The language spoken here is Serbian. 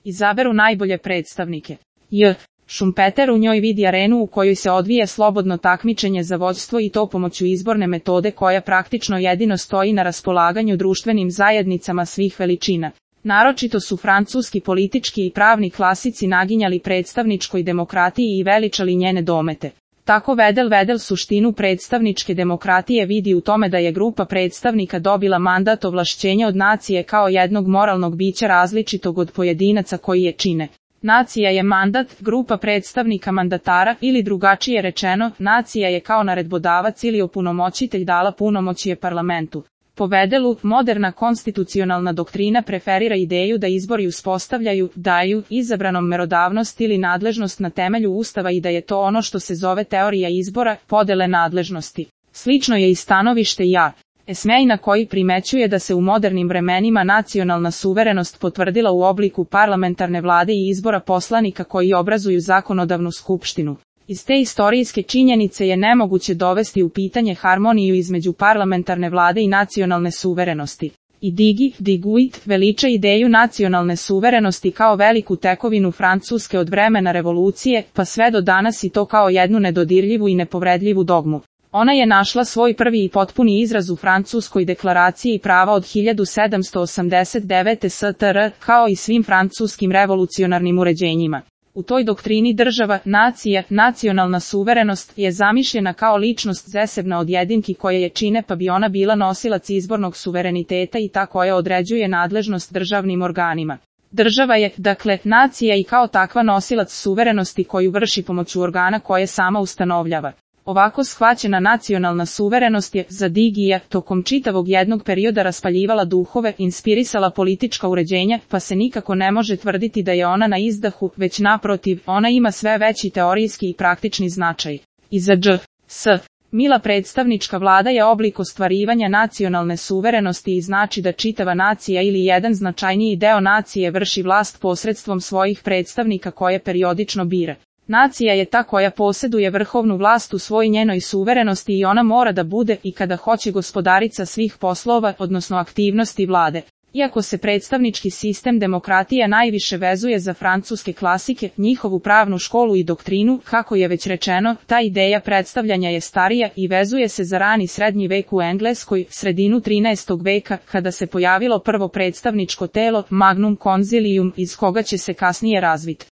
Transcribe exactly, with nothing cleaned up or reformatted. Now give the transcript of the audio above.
izaberu najbolje predstavnike. J. Schumpeter u njoj vidi arenu u kojoj se odvija slobodno takmičenje za vođstvo i to pomoću izborne metode koja praktično jedino stoji na raspolaganju društvenim zajednicama svih veličina. Naročito su francuski politički i pravni klasici naginjali predstavničkoj demokratiji i veličali njene domete. Tako Vedel Vedel suštinu predstavničke demokratije vidi u tome da je grupa predstavnika dobila mandat ovlašćenja od nacije kao jednog moralnog bića različitog od pojedinaca koji je čine. Nacija je mandat, grupa predstavnika mandatara ili drugačije rečeno, nacija je kao naredbodavac ili opunomoćitelj dala punomoćje parlamentu. Po Vedelu, moderna konstitucionalna doktrina preferira ideju da izbori uspostavljaju, daju, izabranom merodavnost ili nadležnost na temelju Ustava i da je to ono što se zove teorija izbora, podele nadležnosti. Slično je i stanovište Ja. Esmejna koji primećuje da se u modernim vremenima nacionalna suverenost potvrdila u obliku parlamentarne vlade i izbora poslanika koji obrazuju zakonodavnu skupštinu. Iz te istorijske činjenice je nemoguće dovesti u pitanje harmoniju između parlamentarne vlade i nacionalne suverenosti. I Digi, Diguit, veliča ideju nacionalne suverenosti kao veliku tekovinu Francuske od vremena revolucije, pa sve do danas i to kao jednu nedodirljivu i nepovredljivu dogmu. Ona je našla svoj prvi i potpuni izraz u Francuskoj deklaraciji prava od hiljadu sedamsto osamdeset devete. S T R, kao i svim francuskim revolucionarnim uređenjima. U toj doktrini država, nacija, nacionalna suverenost je zamišljena kao ličnost zasebna od jedinki koje je čine pa bi ona bila nosilac izbornog suvereniteta i ta koja određuje nadležnost državnim organima. Država je, dakle, nacija i kao takva nosilac suverenosti koju vrši pomoću organa koje sama ustanovljava. Ovako shvaćena nacionalna suverenost je, za Digija, tokom čitavog jednog perioda raspaljivala duhove, inspirisala politička uređenja, pa se nikako ne može tvrditi da je ona na izdahu, već naprotiv, ona ima sve veći teorijski i praktični značaj. I za Dž. S. Mila predstavnička vlada je oblik ostvarivanja nacionalne suverenosti i znači da čitava nacija ili jedan značajniji deo nacije vrši vlast posredstvom svojih predstavnika koje periodično bira. Nacija je ta koja posjeduje vrhovnu vlast u svoj njenoj suverenosti i ona mora da bude i kada hoće gospodarica svih poslova, odnosno aktivnosti vlade. Iako se predstavnički sistem demokratija najviše vezuje za francuske klasike, njihovu pravnu školu i doktrinu, kako je već rečeno, ta ideja predstavljanja je starija i vezuje se za rani srednji vek u Engleskoj, sredinu trinaestog veka, kada se pojavilo prvo predstavničko telo, Magnum Concilium, iz koga će se kasnije razviti.